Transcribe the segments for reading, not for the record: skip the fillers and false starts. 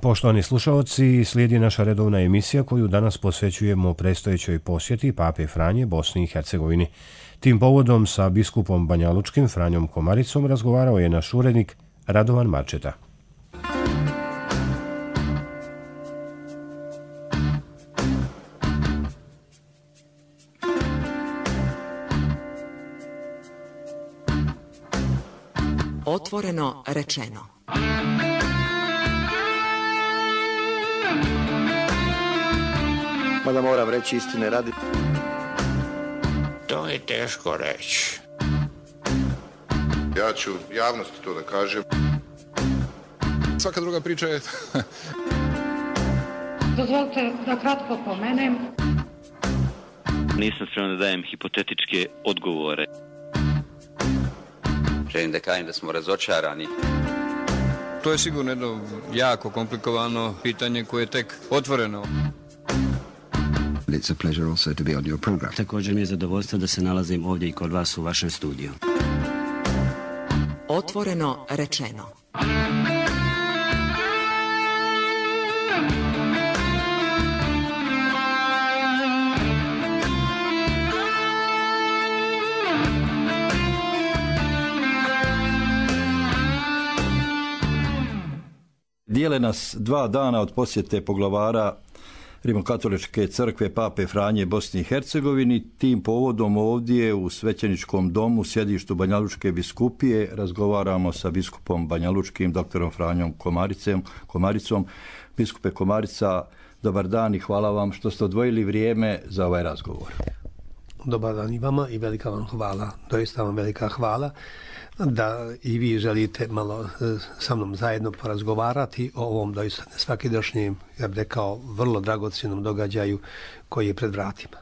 Poštovani slušalci, slijedi naša redovna emisija koju danas posvećujemo predstojećoj posjeti Pape Franje Bosni i Hercegovini. Tim povodom sa biskupom banjalučkim Franjom Komaricom razgovarao je naš urednik Radovan Marčeta. Otvoreno rečeno. Mada moram reći istine radi. To je teško reći. Ja ću javnosti to da kažem. Svaka druga priča je... Dozvolite da kratko pomenem. Nisam spreman da dajem hipotetičke odgovore. Želim da kažem da smo razočarani. To je sigurno jedno jako komplikovano pitanje koje je tek otvoreno. It's a pleasure also to be on your program. Također mi je zadovoljstvo da se nalazim ovdje i kod vas u vašem studiju. Otvoreno rečeno. Dijele nas 2 dana od posjete poglavara Rimokatoličke crkve Pape Franje Bosni i Hercegovini. Tim povodom ovdje u svećeničkom domu, sjedištu Banjalučke biskupije, razgovaramo sa biskupom banjalučkim, doktorom Franjom Komaricom. Biskupe Komarica, dobar dan i hvala vam što ste odvojili vrijeme za ovaj razgovor. Dobar dan i vama i velika vam hvala, doista vam velika hvala da i vi želite malo sa mnom zajedno porazgovarati o ovom doista nesvakidašnjem, ja bih rekao, vrlo dragocjenom događaju koji je pred vratima.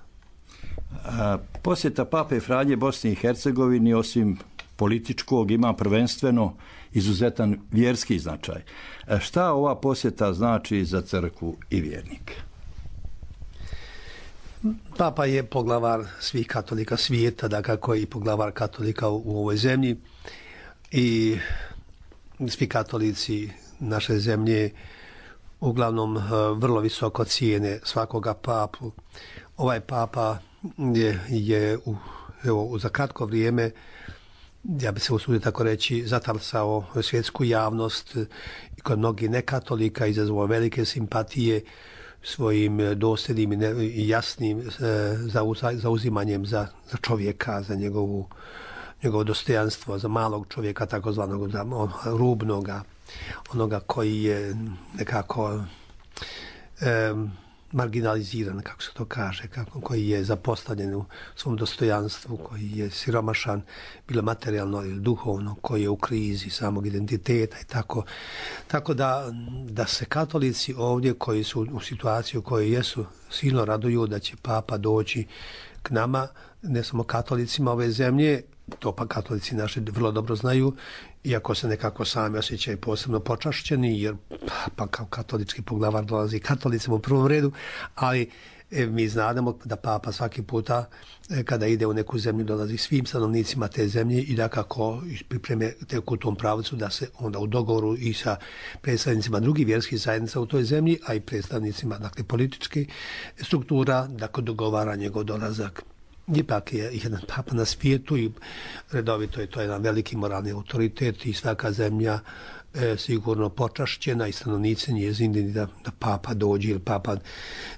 Posjeta Pape Franje Bosni i Hercegovini osim političkog ima prvenstveno izuzetan vjerski značaj. Šta ova posjeta znači za crkvu i vjernike? Papa je poglavar svih katolika svijeta, dakako i poglavar katolika u ovoj zemlji i svi katolici naše zemlje uglavnom vrlo visoko cijene svakoga papu. Ovaj papa je za kratko vrijeme, ja bi se usudio tako reći, zatalsao svjetsku javnost i kod mnogih nekatolika izazvao velike simpatije svojim dosljednim i jasnim zauzimanjem za čovjeka, za njegovo dostojanstvo, za malog čovjeka, takozvanog rubnoga, onoga koji je nekako marginaliziran, kako se to kaže, koji je zapostavljen u svom dostojanstvu, koji je siromašan, bilo materijalno ili duhovno, koji je u krizi samog identiteta i tako. Tako da se katolici ovdje koji su u situaciji u kojoj jesu silno raduju da će papa doći k nama, ne samo katolicima ove zemlje, to pa katolici naši vrlo dobro znaju, iako se nekako sami osjećaju posebno počašćeni, jer pa kao katolički poglavar dolazi katolicima u prvom redu, ali mi znamo da papa svaki puta kada ide u neku zemlju dolazi svim stanovnicima te zemlje i da kako pripreme tek u tom pravcu da se onda u dogovoru i sa predstavnicima drugih vjerskih zajednica u toj zemlji, a i predstavnicima dakle političke struktura, dakle dogovara njegov dolazak. Ipak je jedan papa na svijetu i redovito je to jedan veliki moralni autoritet i svaka zemlja sigurno počašćena i stanovnici njezini da papa dođe, jer papa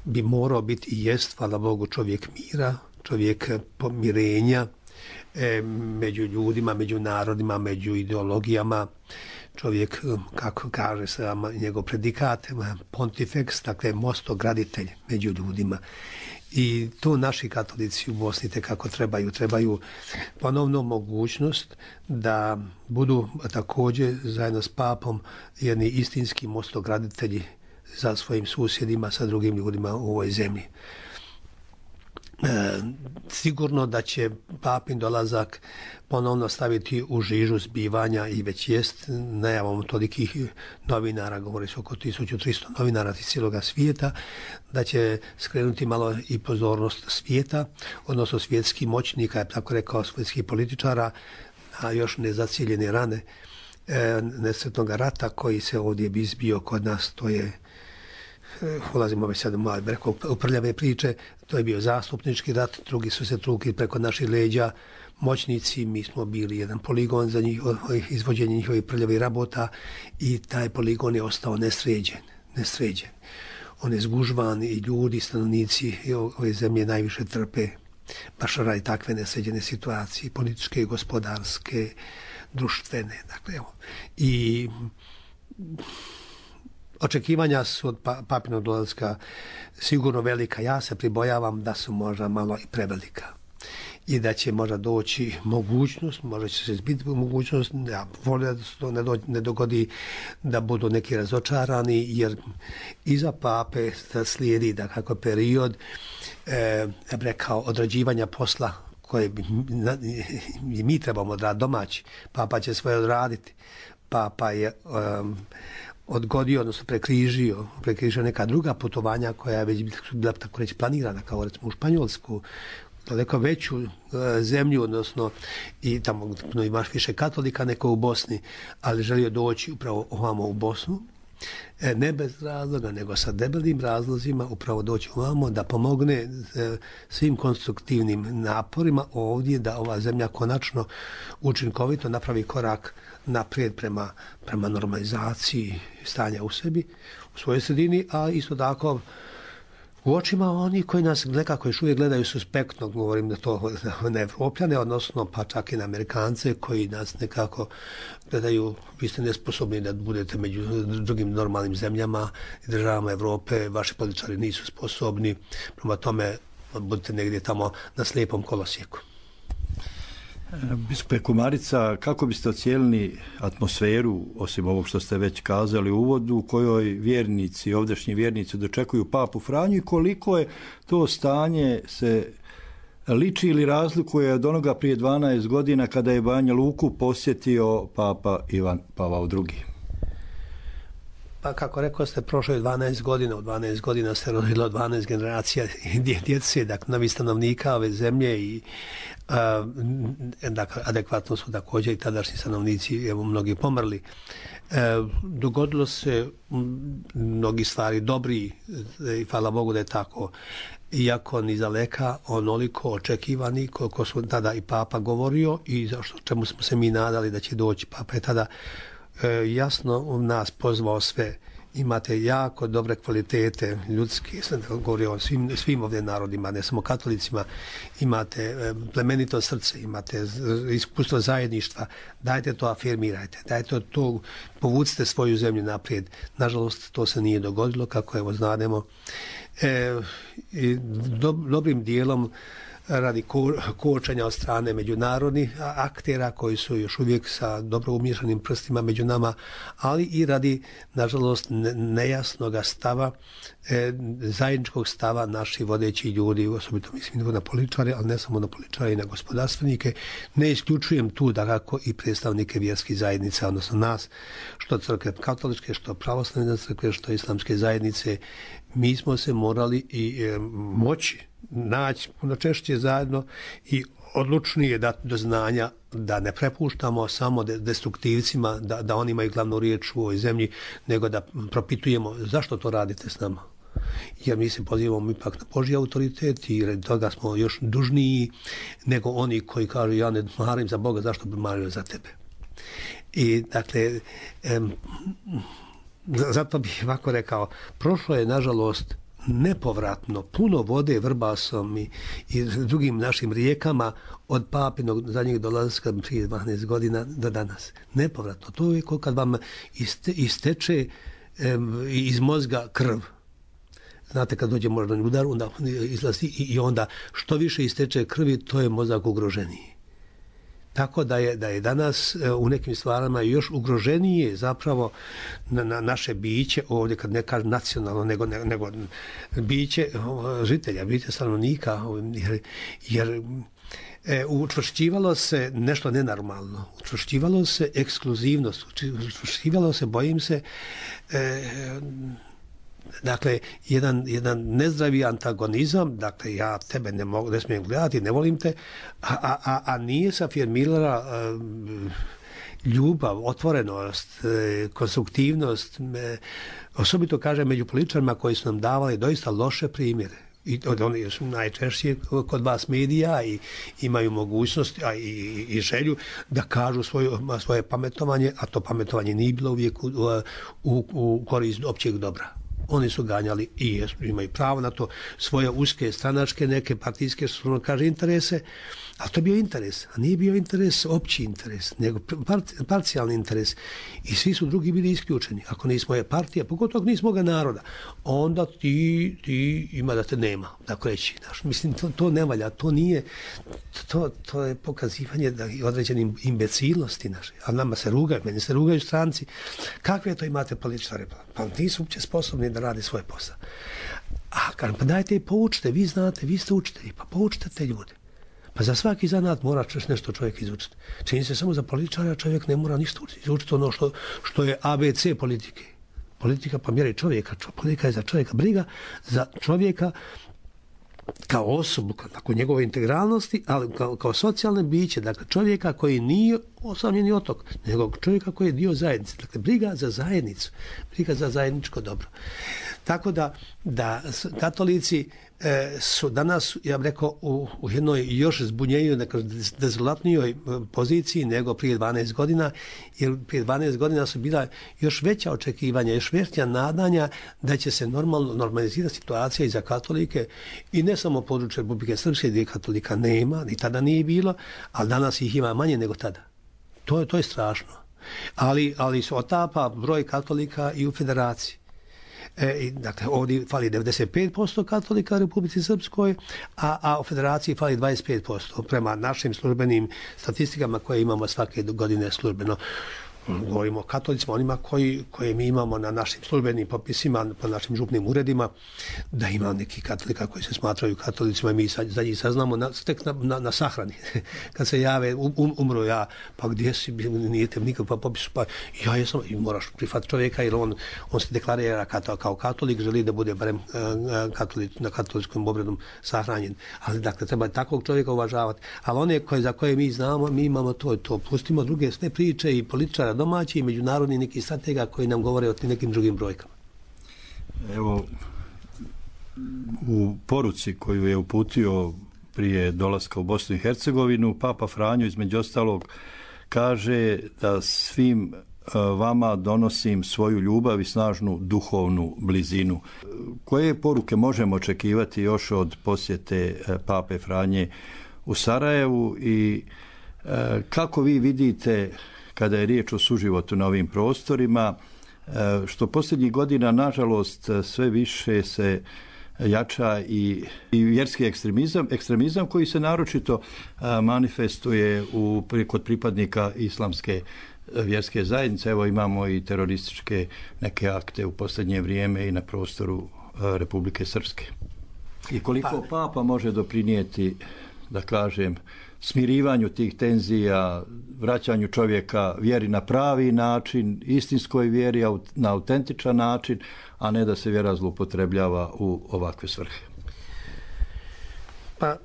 bi morao biti i jest, hvala Bogu, čovjek mira, čovjek pomirenja među ljudima, među narodima, među ideologijama, čovjek, kako kaže se njegov predikat, pontifex, dakle mostograditelj među ljudima. I to naši katolici u Bosni tekako trebaju ponovno mogućnost da budu također zajedno s papom jedni istinski mostograditelji za svojim susjedima, sa drugim ljudima u ovoj zemlji. Sigurno da će papin dolazak ponovno staviti u žižu zbivanja i već jest najavom tolikih novinara, govori se oko 1300 novinara iz cijeloga svijeta, da će skrenuti malo i pozornost svijeta, odnosno svjetskih moćnika, tako rekao, svjetskih političara, a još nezacijeljene rane nesretnog rata koji se ovdje izbio kod nas, to je, ulazimo već sad malo u prljave priče, to je bio zastupnički rat, drugi su se trukli preko naših leđa, moćnici, mi smo bili jedan poligon za izvođenje njihovih prljavih rabota i taj poligon je ostao nesređen. On je zgužvan i ljudi, stanovnici ove zemlje najviše trpe baš radi takve nesređene situacije, političke, gospodarske, društvene. Dakle, evo. I očekivanja su od papinog dolaska sigurno velika. Ja se pribojavam da su možda malo i prevelika. I da će možda doći mogućnost, možda će se izbiti mogućnost, ja volim da se to ne dogodi da budu neki razočarani, jer iza pape slijedi da kako period, ja bih rekao, odrađivanja posla koje mi trebamo odraditi domaći. Papa će svoje odraditi. Papa je odgodio, odnosno prekrižio neka druga putovanja koja je već bila tako reći planirana, kao recimo u Španjolsku, daleko veću zemlju, odnosno i tamo imaš više katolika nego u Bosni, ali želio doći upravo ovamo u Bosnu, ne bez razloga, nego sa debelim razlozima upravo doći ovamo da pomogne svim konstruktivnim naporima ovdje da ova zemlja konačno učinkovito napravi korak naprijed prema normalizaciji stanja u sebi, u svojoj sredini, a isto tako u očima oni koji nas nekako još uvijek gledaju suspektno, govorim da to na Evropljane, odnosno pa čak i na Amerikance koji nas nekako gledaju, vi ste nesposobni da budete među drugim normalnim zemljama i državama Evrope, vaši političari nisu sposobni, prema tome budete negdje tamo na slijepom kolosijeku. Biskupe Komarica, kako biste ocijenili atmosferu, osim ovog što ste već kazali u uvodu, u kojoj vjernici, ovdašnji vjernici dočekuju papu Franju i koliko je to stanje se liči ili razlikuje od onoga prije 12 godina kada je Banja Luku posjetio papa Ivan Pavao II? Pa kako rekao ste, prošlo je 12 godina, u 12 godina se rodilo 12 generacija djece, dakle novi stanovnika ove zemlje i dakle, adekvatno su također i tadašnji stanovnici, evo mnogi pomrli. Dogodilo se mnogi stvari dobri i hvala Bogu da je tako, iako ni daleka onoliko očekivani koliko su tada i papa govorio i čemu smo se mi nadali da će doći. Papa je tada jasno nas pozvao sve. Imate jako dobre kvalitete ljudske, sam govorio o svim ovdje narodima, ne samo katolicima, imate plemenito srce, imate iskustvo zajedništva, dajte to afirmirajte, dajte to, povucite svoju zemlju naprijed. Nažalost, to se nije dogodilo, kako evo znademo. Dobrim dijelom radi kočenja od strane međunarodnih aktera koji su još uvijek sa dobro umješanim prstima među nama, ali i radi, nažalost, nejasnog stava, zajedničkog stava naših vodećih ljudi, osobito mislim na političare, ali ne samo na političare i na gospodarstvenike. Ne isključujem tu dakako i predstavnike vjerskih zajednica, odnosno nas, što crkve katoličke, što pravoslavne crkve, što islamske zajednice. Mi smo se morali i moći naći puno češće zajedno i odlučnije dati do znanja da ne prepuštamo samo destruktivcima, da oni imaju glavnu riječ u ovoj zemlji, nego da propitujemo zašto to radite s nama. Jer mi se pozivamo ipak na Božji autoritet i radi toga smo još dužniji nego oni koji kažu ja ne marim za Boga, zašto bi mario za tebe. I dakle, zato bih ovako rekao, prošlo je nažalost nepovratno puno vode vrbasom i drugim našim rijekama od papinog zadnjeg dolaska prije 12 godina do danas. Nepovratno. To je kao kad vam isteče iz mozga krv. Znate, kad dođe moždani udar, onda izlazi i onda što više isteče krvi, to je mozak ugroženiji. Tako da je danas u nekim stvarama još ugroženije zapravo na naše biće, ovdje kad ne kažem nacionalno, nego biće žitelja, biće stanovnika, jer učvršćivalo se nešto nenormalno, učvršćivalo se ekskluzivnost, učvršćivalo se, bojim se, dakle, jedan nezdravi antagonizam, dakle, ja tebe ne smijem gledati, ne volim te, a nije se afirmirala ljubav, otvorenost, konstruktivnost, osobito kažem među političarima koji su nam davali doista loše primjere. I oni su najčešće kod vas medija i imaju mogućnost i želju da kažu svoje pametovanje, a to pametovanje nije bilo uvijek u korist općeg dobra. Oni su ganjali i imaju pravo na to svoje uske stranačke, neke partijske, što ono kaže, interese, a to je bio interes, a nije bio interes opći interes, nego parcijalni interes. I svi su drugi bili isključeni. Ako nismo je partija, pogotovo ako nismo ga naroda, onda ti ima da te nema, tako reći. Mislim, to ne valja, to nije, to je pokazivanje određene imbecilnosti naše. A nama se rugaju, meni se rugaju stranci. Kakve to imate političare? Pa nisu uopće sposobni da rade svoj posao. A kažem, pa dajte i poučite, vi znate, vi ste učitelji, pa poučite te ljude. Pa za svaki zanat mora nešto čovjek izučiti. Čini se samo za političara čovjek ne mora ništa učiti. Izučiti ono što je ABC politike. Politika pa mjeri čovjeka. Politika je za čovjeka briga, za čovjeka kao osobu, tako njegove integralnosti, ali kao socijalne biće. Dakle, čovjeka koji nije osamljeni otok, nego čovjeka koji je dio zajednice. Dakle, briga za zajednicu, briga za zajedničko dobro. Tako da katolici su danas, ja bih rekao, u jednoj još zbunjenijoj, nekoj dezolatnijoj poziciji nego prije 12 godina, jer prije 12 godina su bila još veća očekivanja, još veća nadanja da će se normalizirati situacija i za katolike, i ne samo područje Republike Srpske gdje katolika nema, ni tada nije bilo, ali danas ih ima manje nego tada. To je strašno. Ali se otapa broj katolika i u federaciji. Dakle, ovdje fali 95% katolika u Republici Srpskoj, a u federaciji fali 25%, prema našim službenim statistikama koje imamo svake godine službeno. Govorimo o katolicima, onima koje mi imamo na našim službenim popisima, po našim župnim uredima, da ima neki katolika koji se smatraju katolicima i mi za njih saznamo tek na sahrani. Kad se jave, umro ja, pa gdje si, nije te nikakva popisu, pa ja jesam, i moraš prihvatiti čovjeka jer on se deklarira kao katolik, želi da bude barem na katoličkom obredu sahranjen. Ali dakle, treba takvog čovjeka uvažavati. Ali one za koje mi znamo, mi imamo to. Pustimo druge sve priče i političara domaći i međunarodni neki stratega koji nam govore o nekim drugim brojkama. Evo, u poruci koju je uputio prije dolaska u Bosnu i Hercegovinu, Papa Franjo između ostalog kaže da svim vama donosim svoju ljubav i snažnu duhovnu blizinu. Koje poruke možemo očekivati još od posjete Pape Franje u Sarajevu i kako vi vidite kada je riječ o suživotu na ovim prostorima, što posljednjih godina, nažalost, sve više se jača i vjerski ekstremizam koji se naročito manifestuje kod pripadnika islamske vjerske zajednice. Evo imamo i terorističke neke akte u posljednje vrijeme i na prostoru Republike Srpske. I koliko Papa može doprinijeti, da kažem, smirivanju tih tenzija, vraćanju čovjeka vjeri na pravi način, istinskoj vjeri na autentičan način, a ne da se vjera zloupotrebljava u ovakve svrhe. Pa,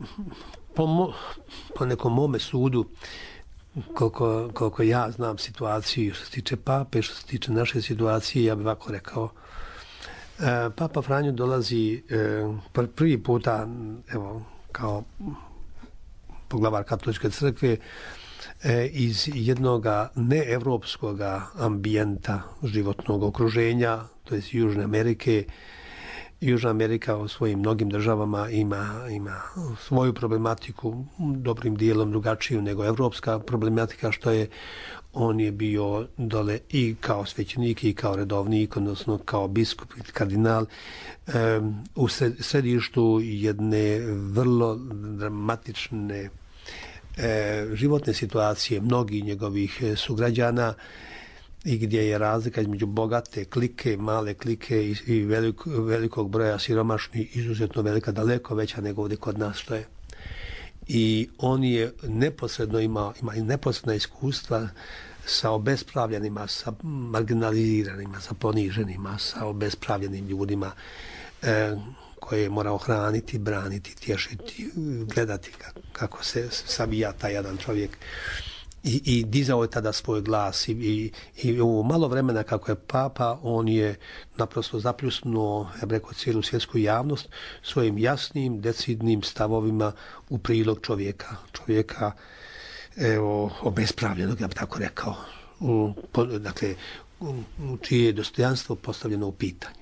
po nekom mome sudu, koliko ja znam situaciju što se tiče Pape, što se tiče naše situacije, ja bih ovako rekao, Papa Franjo dolazi prvi puta, evo, kao poglavar katoličke crkve iz jednog neevropskog ambijenta životnog okruženja, to je Južne Amerike. Južna Amerika u svojim mnogim državama ima svoju problematiku, dobrim dijelom drugačiju nego evropska problematika, što je on je bio dole i kao svećenik i kao redovnik, odnosno kao biskup i kardinal u središtu jedne vrlo dramatične životne situacije mnogih njegovih sugrađana i gdje je razlika između bogate klike, male klike i velikog broja siromašnih izuzetno velika, daleko veća nego ovdje kod nas što je. I on je neposredno ima i neposredna iskustva sa obespravljenima, sa marginaliziranima, sa poniženima, sa obespravljenim ljudima koje je morao hraniti, braniti, tješiti, gledati kako se savija taj jedan čovjek i dizao je tada svoj glas i u malo vremena kako je papa, on je naprosto zapljusnuo, ja bih rekao, cijelu svjetsku javnost svojim jasnim, decidnim stavovima u prilog čovjeka obespravljenog, ja bih tako rekao, dakle, čije je dostojanstvo postavljeno u pitanje.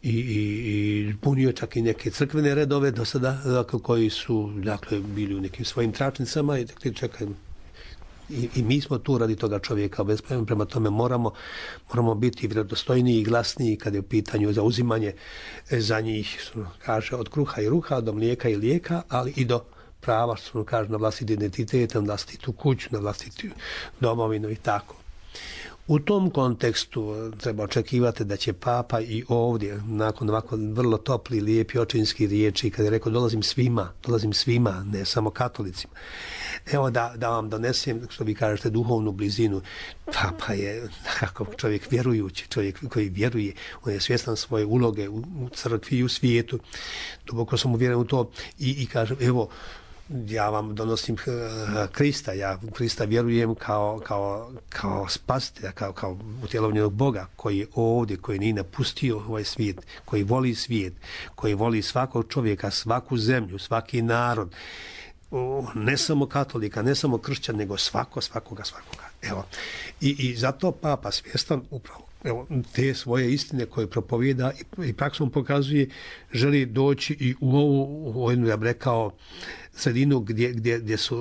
I punio čak i neke crkvene redove do sada, dakle, koji su, dakle, bili u nekim svojim tračnicama i dakle, čekaj, i mi smo tu radi toga čovjeka obespravljeni, prema tome moramo biti vjerodostojniji i glasniji kada je u pitanju zauzimanje za njih, kaže, od kruha i ruha, do mlijeka i lijeka, ali i do prava, što kaže, na vlastiti identitet, na vlastitu kuću, na vlastitu domovinu i tako. U tom kontekstu treba očekivati da će papa i ovdje, nakon ovako vrlo topli, lijepi očinski riječi, kada je rekao dolazim svima, ne samo katolicima. Evo da vam donesem, što vi kažete, duhovnu blizinu. Papa je nekako čovjek vjerujući, čovjek koji vjeruje, on je svjestan svoje uloge u crkvi i u svijetu. Duboko sam uvjeren u to i kažem, evo, ja vam donosim Krista, ja Krista vjerujem kao spasitelja, kao utjelovljenog Boga koji je ovdje, koji nije napustio ovaj svijet, koji voli svijet, koji voli svakog čovjeka, svaku zemlju, svaki narod, ne samo katolika, ne samo kršćan, nego svakoga. Evo. I zato papa svjestan upravo te svoje istine koje propovijeda i praksom pokazuje, želi doći i u ovu jednu, ja bih rekao, sredinu gdje su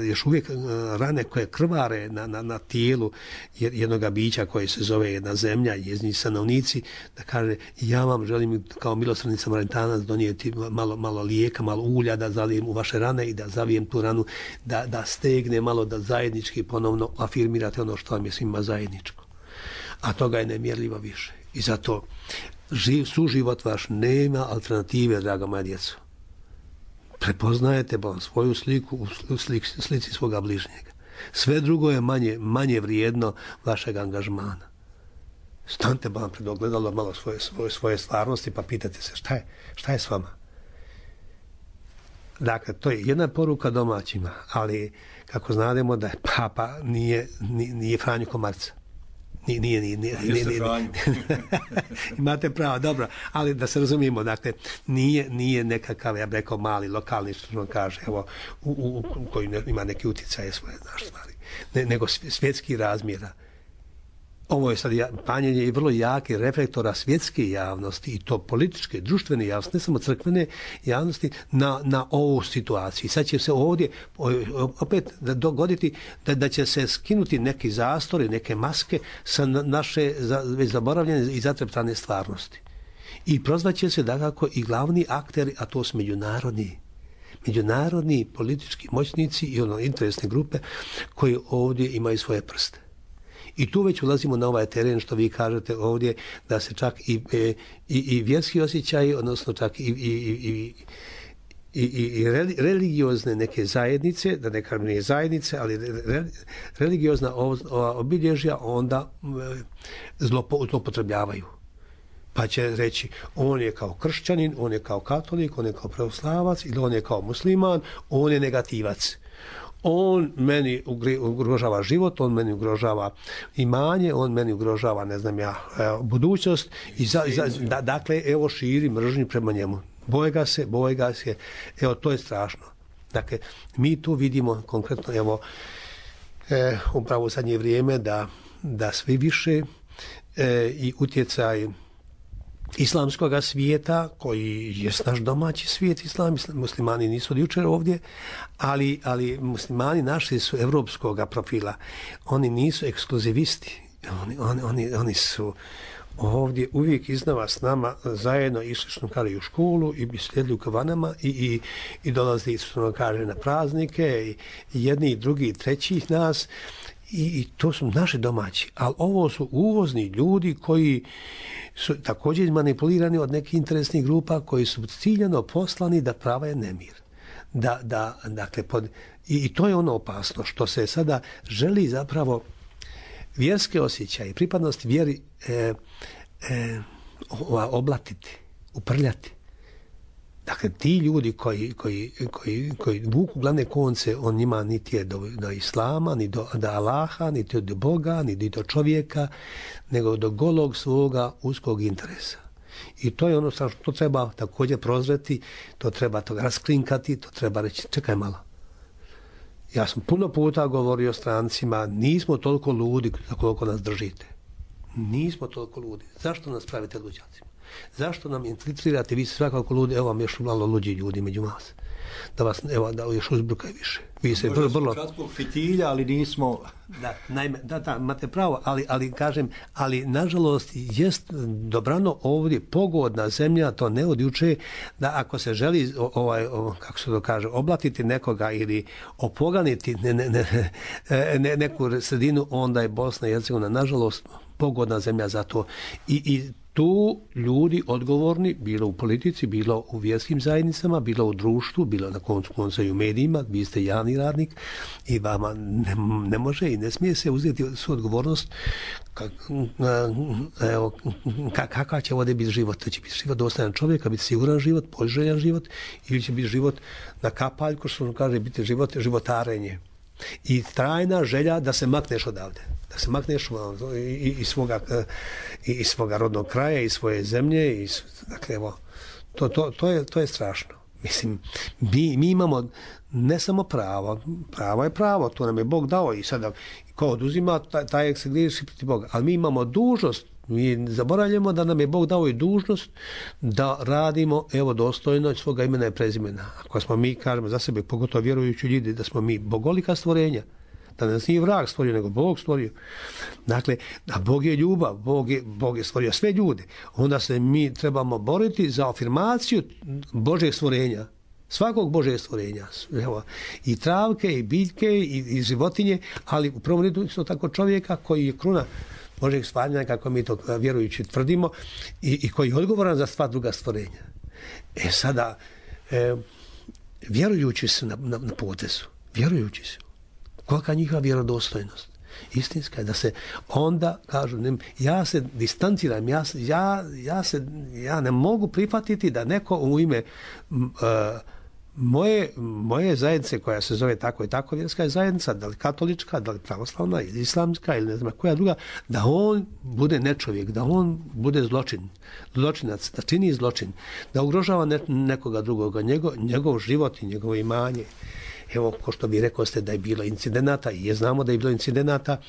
još uvijek rane koje krvare na tijelu jednoga bića koje se zove jedna zemlja i njezini stanovnici, da kaže, ja vam želim kao milosrdni Samaritanac donijeti malo lijeka, malo ulja da zalijem u vaše rane i da zavijem tu ranu, da stegne malo, da zajednički ponovno afirmirate ono što vam je svima zajedničko. A toga je nemjerljivo više. I zato suživot vaš nema alternative, draga moja djeco. Prepoznajete svoju sliku u slici svoga bližnjega. Sve drugo je manje vrijedno vašeg angažmana. Stanite pred ogledalo malo svoje stvarnosti pa pitate se šta je s vama. Dakle, to je jedna poruka domaćima, ali kako znademo da je papa nije Franjo Komarica. Nije. Imate pravo, dobro, ali da se razumijemo, dakle, nije nekakav, ja bih rekao, mali lokalni, što kaže, evo, u koji ima neke utjecaje svoje naše stvari, nego svjetski razmjera. Ovo je sad panjenje i vrlo jake reflektora svjetske javnosti i to političke, društvene javnosti, ne samo crkvene javnosti, na ovu situaciju. Sad će se ovdje opet dogoditi da će se skinuti neki zastori, neke maske sa naše već zaboravljene i zatreptane stvarnosti. I prozvaće se dakako i glavni akteri, a to su međunarodni politički moćnici i interesne grupe koji ovdje imaju svoje prste. I tu već ulazimo na ovaj teren što vi kažete ovdje, da se čak i vjerski osjećaji, odnosno čak i religiozne neke zajednice, da ne kažem nije zajednice, ali religiozna obilježja onda zloupotrebljavaju. Pa će reći, on je kao kršćanin, on je kao katolik, on je kao pravoslavac ili on je kao musliman, on je negativac. On meni ugrožava život, on meni ugrožava imanje, on meni ugrožava, ne znam ja, budućnost. Dakle, evo širi mržnju prema njemu. Boje ga se. Evo, to je strašno. Dakle, mi tu vidimo konkretno, evo, upravo u zadnje vrijeme da sve više i utjecaj islamskoga svijeta, koji je naš domaći svijet, muslimani nisu od jučer ovdje, ali muslimani naši su evropskoga profila. Oni nisu ekskluzivisti. Oni su ovdje uvijek iznova s nama zajedno išli, što kaže, u školu i slijedili u kavanama i dolazili, što kaže, na praznike i jedni i drugi i treći nas. I to su naši domaći, ali ovo su uvozni ljudi koji su također manipulirani od nekih interesnih grupa koji su ciljano poslani da prave nemir. Dakle, i to je ono opasno što se sada želi zapravo vjerske osjećaje, pripadnost vjeri oblatiti, uprljati. Dakle, ti ljudi koji vuku glavne konce, on njima niti je do islama, ni do Allaha, niti do Boga, niti do čovjeka, nego do golog svoga uskog interesa. I to je ono što treba također prozreti, to treba to rasklinkati, to treba reći, čekaj malo. Ja sam puno puta govorio strancima, nismo toliko ludi koliko nas držite. Nismo toliko ludi. Zašto nas pravite luđacima? Zašto nam infiltrirate, vi ste svakako ludi, evo vam još malo luđi ljudi među vas. Da vas, evo, da još uzbrukaju više. Vi se vrlo kratkog fitilja, ali nismo... Da, naime, da, imate pravo, ali kažem, ali nažalost jest dobrano ovdje pogodna zemlja, to ne od juče, da ako se želi kako se to kaže, oblatiti nekoga ili opoganiti neku sredinu, onda je Bosna i Hercegovina nažalost pogodna zemlja za to. I tu ljudi odgovorni, bilo u politici, bilo u vjerskim zajednicama, bilo u društvu, bilo na koncu i u medijima, vi ste javni radnik i vama ne može i ne smije se uzeti svu odgovornost kakav će ovdje biti život. To će biti život dostojan čovjeka, biti siguran život, poželjan život, ili će biti život na kapaljku, što kaže, biti životarenje. I trajna želja da se makneš odavde. Da se makneš iz svoga rodnog kraja, iz svoje zemlje. Dakle, evo, to je strašno. Mislim, mi imamo ne samo pravo je pravo, to nam je Bog dao i sada ko oduzima, taj se griješi protiv Boga. Ali mi imamo dužnost, mi zaboravljamo da nam je Bog dao i dužnost da radimo, evo, dostojno svoga imena i prezimena. Ako smo mi, kažemo za sebe, pogotovo vjerujući ljudi, da smo mi bogolika stvorenja, da nas nije vrag stvorio, nego Bog stvorio. Dakle, a Bog je ljubav, Bog je stvorio sve ljude. Onda se mi trebamo boriti za afirmaciju Božeg stvorenja, svakog Božeg stvorenja. Evo, i travke, i biljke, i životinje, ali u prvom redu isto tako čovjeka koji je kruna Božeg stvaranja, kako mi to vjerujući tvrdimo, i koji je odgovoran za sva druga stvorenja. Sada, vjerujući su na potezu, vjerujući su, kolika njihova vjerodostojnost, istinska je, da se onda kažu, ja se distanciram, ja ne mogu prihvatiti da neko u ime moje zajednice, koja se zove tako i tako vjerska zajednica, da li katolička, da li pravoslavna ili islamska ili ne znam koja druga, da on bude nečovjek, da on bude zločinac, da čini zločin, da ugrožava nekoga drugoga, njegov život i njegovo imanje. Evo, ko što vi rekao ste da je bilo incidenata, i znamo da je bilo incidenata,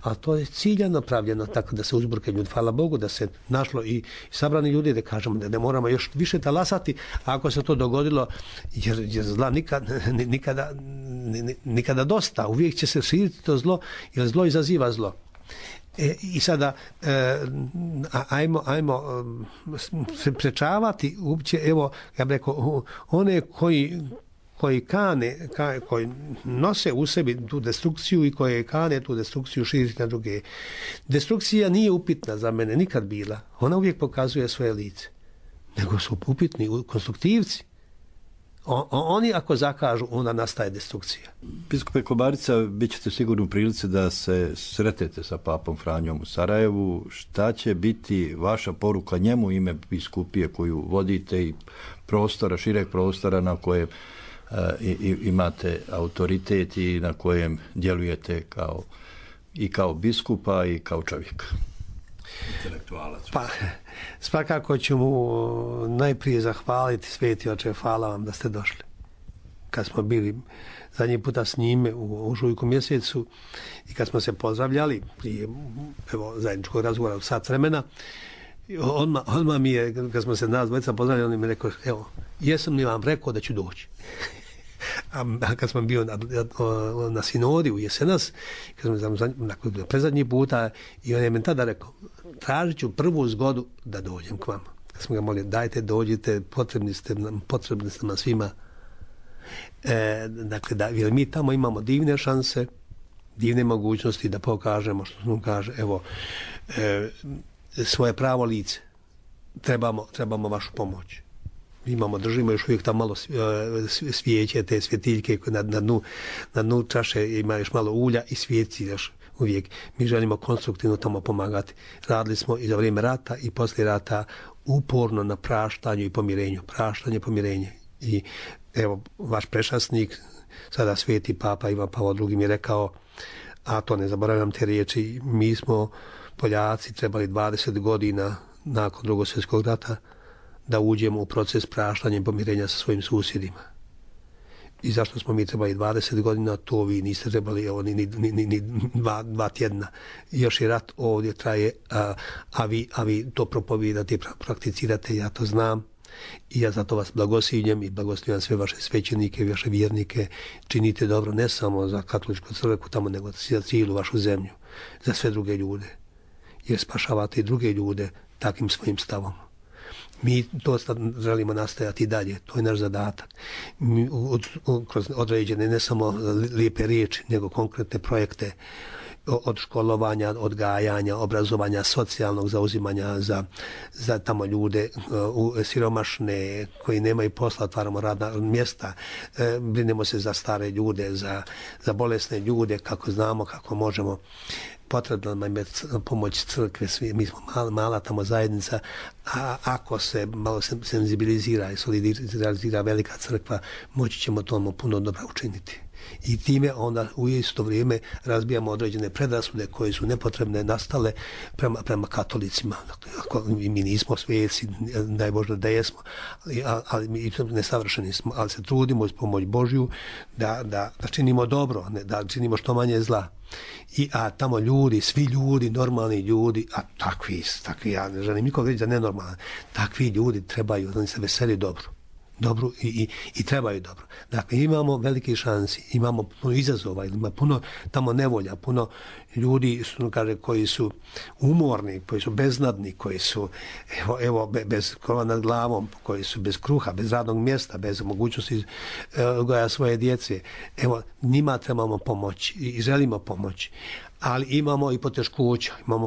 ali to je ciljano pravljeno tako da se uzburkaju ljudi. Hvala Bogu da se našlo i sabrani ljudi, da kažemo da ne moramo još više talasati ako se to dogodilo, jer zla nikada dosta. Uvijek će se širiti to zlo, jer zlo izaziva zlo. I sada ajmo se prečavati uopće, evo, ja bih rekao, one koji nose u sebi tu destrukciju i koje kane tu destrukciju širiti na druge. Destrukcija nije upitna za mene, nikad bila. Ona uvijek pokazuje svoje lice. Nego su upitni konstruktivci. Oni ako zakažu, onda nastaje destrukcija. Biskupe Komarica, bit ćete sigurno u prilici da se sretete sa papom Franjom u Sarajevu. Šta će biti vaša poruka njemu, ime biskupije koju vodite i prostora, šireg prostora na kojem imate autoritet i na kojem djelujete kao biskupa i kao čovjek? Intelektualac. Pa, svakako ću mu najprije zahvaliti, Sveti Oče, hvala vam da ste došli. Kad smo bili zadnji puta s njime u ožujku mjesecu i kad smo se pozdravljali prije zajedničkog razgovora u sat vremena, odmah mi je, kad smo se nas dvojica pozdravljali, on mi je rekao, evo, jesam li vam rekao da ću doći? A kad smo bio na sinodi u Jesenas, kad smo predzadnji puta, i on je meni tada rekao, tražit ću prvu zgodu da dođem k vama. Kad smo ga molili, dajte, dođite, potrebni ste nam svima. Dakle, jer mi tamo imamo divne šanse, divne mogućnosti da pokažemo, što smo kaže, evo, svoje pravo lice. Trebamo vašu pomoć. Držimo još uvijek tamo malo svijeće, te svjetiljke na dnu čaše, ima još malo ulja i svijetci još uvijek. Mi želimo konstruktivno tamo pomagati. Radili smo i za vrijeme rata i poslije rata uporno na praštanju i pomirenju. Praštanje, pomirenje. I evo, vaš prečasnik, sada sveti Papa Ivan Pavao II mi je rekao, a to ne zaboravljam te riječi, mi smo Poljaci trebali 20 godina nakon Drugog svjetskog rata da uđemo u proces praštanja i pomirenja sa svojim susjedima. I zašto smo mi trebali 20 godina, to vi niste trebali ni dva tjedna. Još i rat ovdje traje, a vi to propovijedate i prakticirate, ja to znam. I ja zato vas blagoslivljam i blagoslivljam sve vaše svećenike i vaše vjernike. Činite dobro ne samo za katoličku crkvu tamo, nego za cijelu vašu zemlju, za sve druge ljude. Jer spašavate i druge ljude takvim svojim stavom. Mi to želimo nastajati dalje, to je naš zadatak. Mi kroz određene ne samo lijepe riječi, nego konkretne projekte od školovanja, odgajanja, obrazovanja, socijalnog zauzimanja za tamo ljude siromašne koji nemaju posla, otvaramo radna mjesta, brinemo se za stare ljude, za bolesne ljude, kako znamo, kako možemo. Potrebno nam je pomoć crkve, mi smo mala tamo zajednica, a ako se malo senzibilizira i solidarizira velika crkva, moći ćemo tomu puno dobra učiniti. I time onda u isto vrijeme razbijamo određene predrasude koje su nepotrebne nastale prema katolicima. Dakle, mi nismo svijeci, daj Bože da jesmo, ali mi nesavršeni smo, ali se trudimo uz pomoć Božju da činimo dobro, da činimo što manje zla. A tamo ljudi, svi ljudi, normalni ljudi, a takvi, ja ne želim nikog reći da nenormalni, takvi ljudi trebaju, oni se veseli dobro i trebaju dobro. Dakle, imamo velike šansi, imamo puno izazova, ima puno tamo nevolja, puno ljudi koji su umorni, koji su beznadni, koji su bez krova nad glavom, koji su bez kruha, bez radnog mjesta, bez mogućnosti odgoja svoje djece. Evo, njima trebamo pomoći i želimo pomoći. Ali imamo i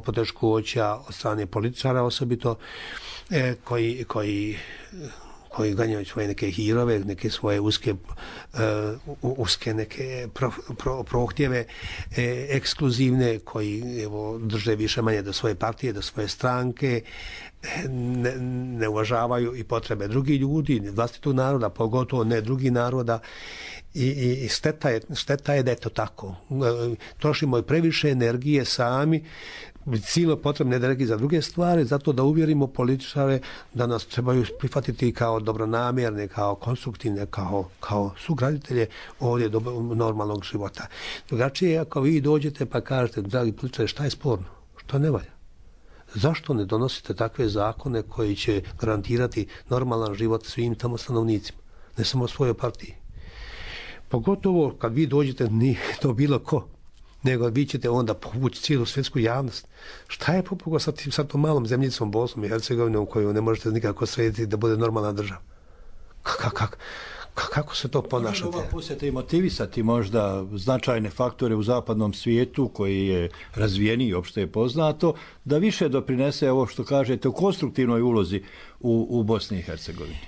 poteškoća od strane političara osobito koji ganjaju svoje neke hirove, neke svoje uske neke prohtjeve ekskluzivne, koji drže više manje do svoje partije, do svoje stranke, ne uvažavaju i potrebe drugih ljudi, vlastitog naroda, pogotovo ne drugih naroda. I šteta je da je to tako. Trošimo i previše energije sami, silno potrebne energije za druge stvari, zato da uvjerimo političare da nas trebaju prihvatiti kao dobronamjerne, kao konstruktivne, kao sugraditelje ovdje normalnog života. Drugačije, ako vi dođete pa kažete, dragi političari, šta je sporno? Šta ne valja? Zašto ne donosite takve zakone koji će garantirati normalan život svim tamo stanovnicima, ne samo svojoj partiji? Pogotovo kad vi dođete, nije to bilo ko, nego vi ćete onda povući cijelu svjetsku javnost. Šta je popogo sa tom malom zemljicom Bosnom i Hercegovinom koju ne možete nikako srediti da bude normalna država? Kako se to ponašate? Ova posjeta i motivisati možda značajne faktore u zapadnom svijetu koji je razvijeniji, opšte je poznato, da više doprinese ovo što kažete u konstruktivnoj ulozi u Bosni i Hercegovini.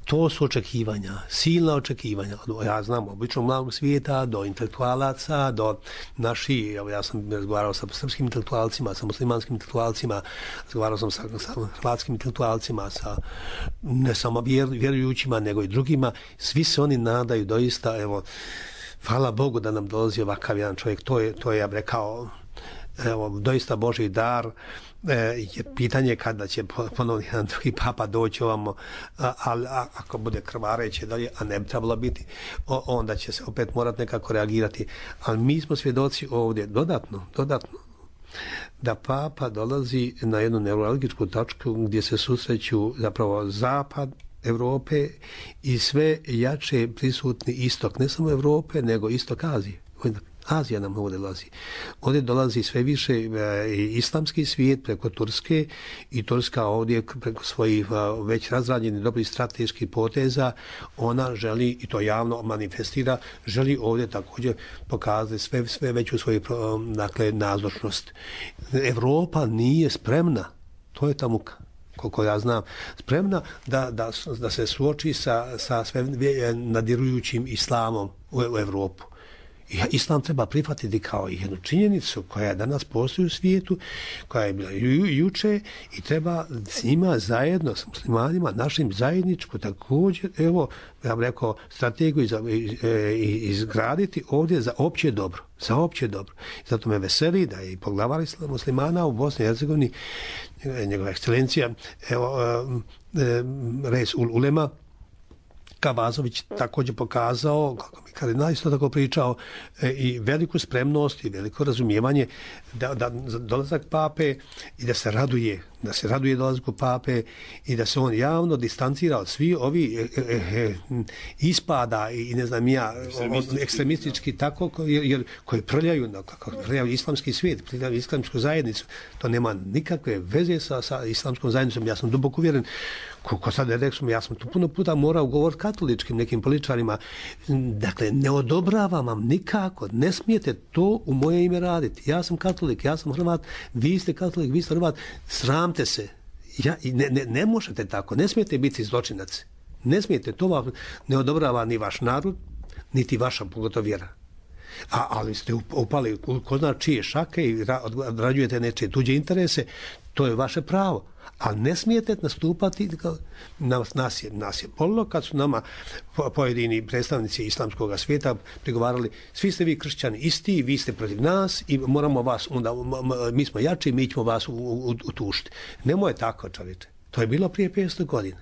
To su očekivanja, silna očekivanja. Ja znam, obično mladog svijeta, do intelektualaca, do naših, ja sam razgovarao sa srpskim intelektualcima, sa muslimanskim intelektualcima, razgovarao sam sa hrvatskim intelektualcima, sa ne samo vjerujućima, nego i drugima. Svi se oni nadaju doista, evo, hvala Bogu da nam dolazi ovakav jedan čovjek. To je ja bih rekao, evo, doista Božji dar. Jer pitanje je kada će ponovno jedan drugi papa doći ovamo, ali ako bude krvareće dalje, a ne bi trebalo biti, onda će se opet morati nekako reagirati. Ali mi smo svjedoci ovdje dodatno, da papa dolazi na jednu neuralgičku tačku gdje se susreću zapravo zapad Europe i sve jače prisutni istok, ne samo Europe, nego istok Azije. Azija nam ovdje dolazi. Ovdje dolazi sve više islamski svijet preko Turske i Turska ovdje preko svojih već razrađenih dobrih strateških poteza, ona želi, i to javno manifestira, želi ovdje također pokazati sve veću svoju nazočnost. Evropa nije spremna, to je ta muka, koliko ja znam, spremna da se suoči sa sve nadirujućim islamom u Evropu. Islam treba prihvatiti kao jednu činjenicu koja danas postoji u svijetu, koja je bila juče i treba s njima zajedno, s muslimanima, našim zajedničko također, evo, ja bih rekao, strategiju izgraditi ovdje za opće dobro. Za opće dobro. Zato me veseli da je i poglavar muslimana u Bosni i Hercegovini, njegova ekscelencija, evo, Reis Ulema Kavazović također pokazao, kako mi kardinal isto tako pričao, i veliku spremnost i veliko razumijevanje da dolazak pape i da se raduje dolazku pape i da se on javno distancira od svi ovi ispada i ne znam ja, ekstremistički tako, jer koji prljaju islamski svijet, prljaju islamsku zajednicu. To nema nikakve veze sa islamskom zajednicom. Ja sam duboko uvjeren, ko sad je rekao, ja sam tu puno puta morao govoriti katoličkim nekim političarima. Dakle, ne odobravam vam nikako, ne smijete to u moje ime raditi. Ja sam katolik, ja sam Hrvat, vi ste katolik, vi ste Hrvat, sramte se. Ne možete tako, ne smijete biti zločinac. Ne smijete, to vam ne odobrava ni vaš narod, niti vaša pogotovo vjera. Ali ste upali ko zna čije šake i odrađujete nečije tuđe interese, to je vaše pravo. Ali ne smijete nastupati, nas je bolilo kad su nama pojedini predstavnici islamskog svijeta prigovarali, svi ste vi kršćani isti, vi ste protiv nas i moramo vas, onda, mi smo jači, mi ćemo vas utušiti. Nemoj tako, čovječe. To je bilo prije 500 godina.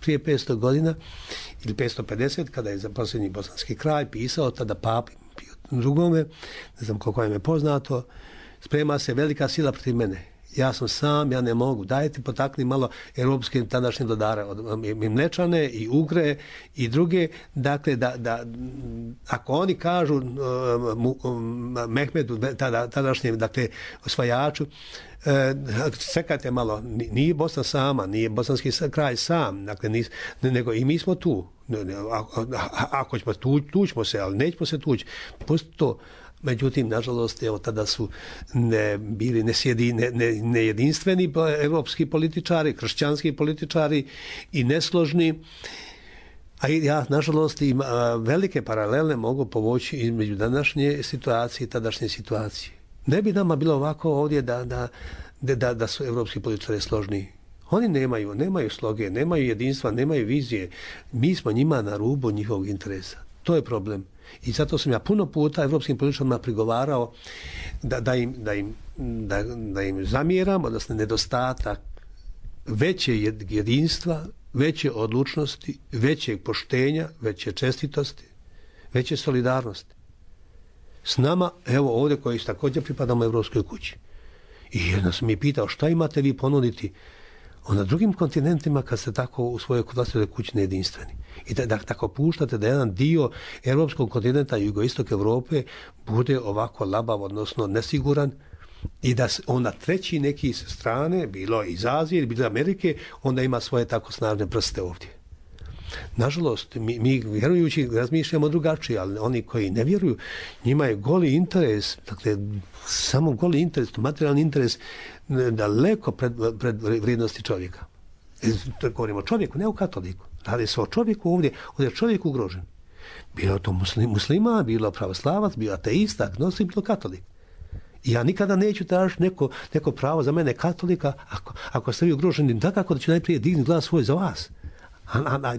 Prije 500 godina ili 550, kada je za posljednji bosanski kraj pisao tada papi drugome, ne znam koliko im je poznato, sprema se velika sila protiv mene. Ja sam sam, ja ne mogu. Dajte potakni malo europske tadašnje vladare, i Mlečane i Ugre i druge. Dakle, da ako oni kažu Mehmedu, tadašnjem, dakle, osvajaču, čekajte malo, nije Bosna sama, nije bosanski kraj sam, dakle, nego i mi smo tu. Ako ćemo tućemo se, ali nećemo se tući. Pusti to. Međutim, nažalost, evo, tada su bili nejedinstveni evropski političari, kršćanski političari i nesložni. A ja, nažalost, velike paralele mogu povući između današnje situacije i tadašnje situacije. Ne bi nama bilo ovako ovdje da su evropski političari složni. Oni nemaju sloge, nemaju jedinstva, nemaju vizije. Mi smo njima na rubu njihovog interesa. To je problem. I zato sam ja puno puta evropskim političarima prigovarao da im zamjeram, odnosno nedostatak veće jedinstva, veće odlučnosti, većeg poštenja, veće čestitosti, veće solidarnosti. S nama, evo ovdje koji također pripadamo Evropskoj kući. I jedno sam mi pitao, šta imate vi ponuditi na drugim kontinentima kad ste tako u svojoj vlastitoj kući nejedinstveni. I da tako puštate da jedan dio europskog kontinenta, jugoistok Europe, bude ovako labav, odnosno nesiguran, i da onda treći neki sa strane, bilo iz Azije, bilo iz Amerike, onda ima svoje tako snažne prste ovdje. Nažalost, mi vjerujući razmišljamo drugačije, ali oni koji ne vjeruju, njima je goli interes, dakle, samo goli interes, materijalni interes, daleko pred vrijednosti čovjeka. Govorimo o čovjeku, ne o katoliku. Radi se o čovjeku ovdje je čovjek ugrožen. Bilo to muslima, bilo pravoslavac, bilo ateista, agnostik, bilo katolik. I ja nikada neću tražiti neko pravo za mene katolika, ako ste vi ugroženi, dakako da ću najprije dignuti glas svoj za vas.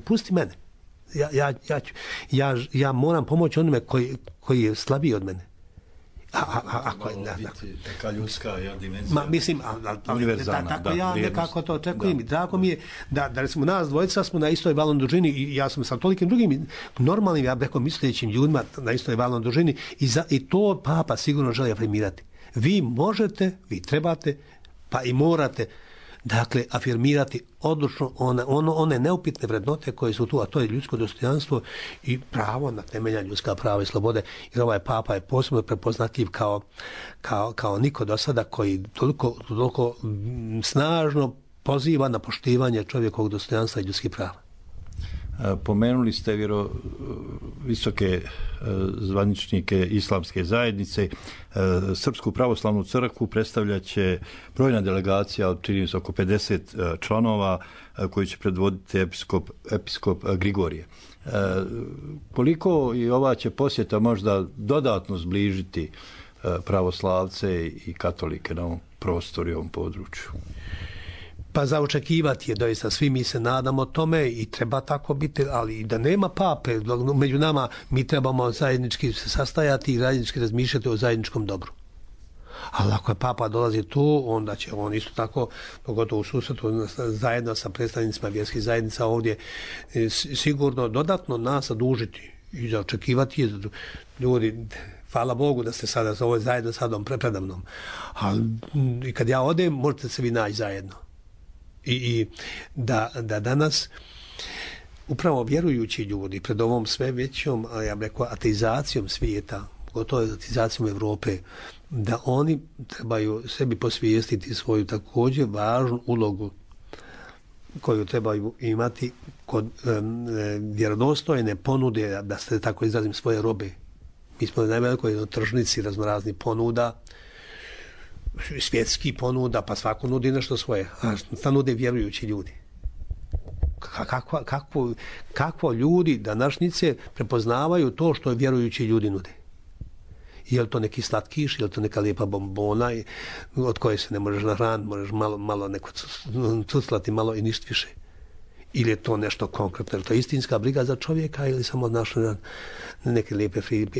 Pusti mene. Ja moram pomoći onome koji je slabiji od mene. Taka ljudska dimenzija. Mislim, tako ja nekako to očekujem. I drago mi je da recimo nas dvojica smo na istoj valnoj dužini i ja sam sa tolikim drugim normalnim, ja bih rekao, mislećim ljudima na istoj valnoj dužini i to Papa sigurno želi afirmirati. Vi možete, vi trebate, pa i morate, dakle, afirmirati odlučno one neupitne vrednote koje su tu, a to je ljudsko dostojanstvo i pravo na temelja ljudska prava i slobode. Jer ovaj Papa je posebno prepoznatljiv kao niko do sada, koji toliko snažno poziva na poštivanje čovjekovog dostojanstva i ljudskih prava. Pomenuli ste visoke zvaničnike islamske zajednice. Srpsku pravoslavnu crkvu predstavljat će brojna delegacija od čini se oko 50 članova koji će predvoditi episkop Grigorije. Koliko i ova će posjeta možda dodatno zbližiti pravoslavce i katolike na ovom prostoru i ovom području? Pa za očekivati je doista, svi mi se nadamo tome i treba tako biti, ali i da nema pape među nama, mi trebamo zajednički se sastajati i zajednički razmišljati o zajedničkom dobru. Ali ako je papa dolazi tu, onda će on isto tako, pogotovo u susretu zajedno sa predstavnicima vjerskih zajednica ovdje, sigurno dodatno nas zadužiti i za očekivati je ljudi. Hvala Bogu da ste sada za ovo zajedno sa mnom predamnom. Ali i kad ja odem, možete se vi naći zajedno. I da danas upravo vjerujući ljudi pred ovom sve većom, ja bih rekao, ateizacijom svijeta, gotovo ateizacijom Evrope, da oni trebaju sebi posvijestiti svoju također važnu ulogu koju trebaju imati kod vjerodostojne ponude, da se tako izrazim, svoje robe. Mi smo na najvelikoj tržnici raznoraznih ponuda, svjetski ponuda, pa svako nudi nešto svoje, a šta nude vjerujući ljudi? Kakvo ljudi današnjice prepoznavaju to što vjerujući ljudi nude? Je li to neki slatkiš, je li to neka lijepa bombona od koje se ne možeš nahraniti, možeš malo neko cuclati, malo i ništa više? Ili je to nešto konkretno? Je to istinska briga za čovjeka ili samo našle neke lijepe fine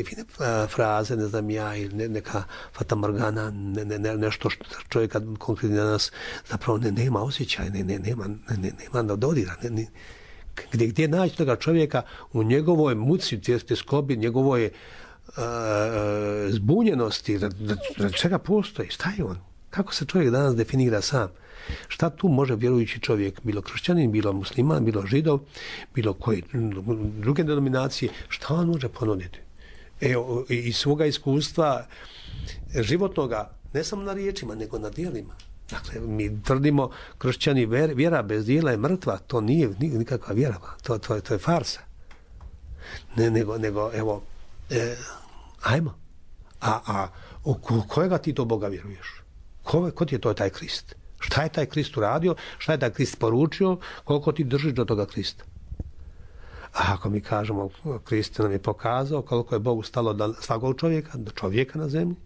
fraze, ne znam ja, ili neka fatamorgana, nešto što čovjeka konkretno danas zapravo nema osjećaj, nema dodira. Gdje naći toga čovjeka u njegovoj muci, tjeskobi, njegovoj zbunjenosti, da čega postoji, šta je on? Kako se čovjek danas definira sam? Šta tu može vjerujući čovjek, bilo kršćanin, bilo musliman, bilo židov, bilo koji druge denominacije, šta on može ponuditi? Evo, iz svoga iskustva životnoga, ne samo na riječima, nego na djelima. Dakle, mi tvrdimo kršćani, vjera bez djela je mrtva, to nije nikakva vjera, to je farsa. Nego evo, ajmo. A u kojega ti to Boga vjeruješ? Ko ti je to taj Krist? Šta je taj Krist uradio? Šta je taj Krist poručio? Koliko ti držiš do toga Krista? A ako mi kažemo, Krist nam je pokazao koliko je Bogu stalo do svakog čovjeka, do čovjeka na zemlji,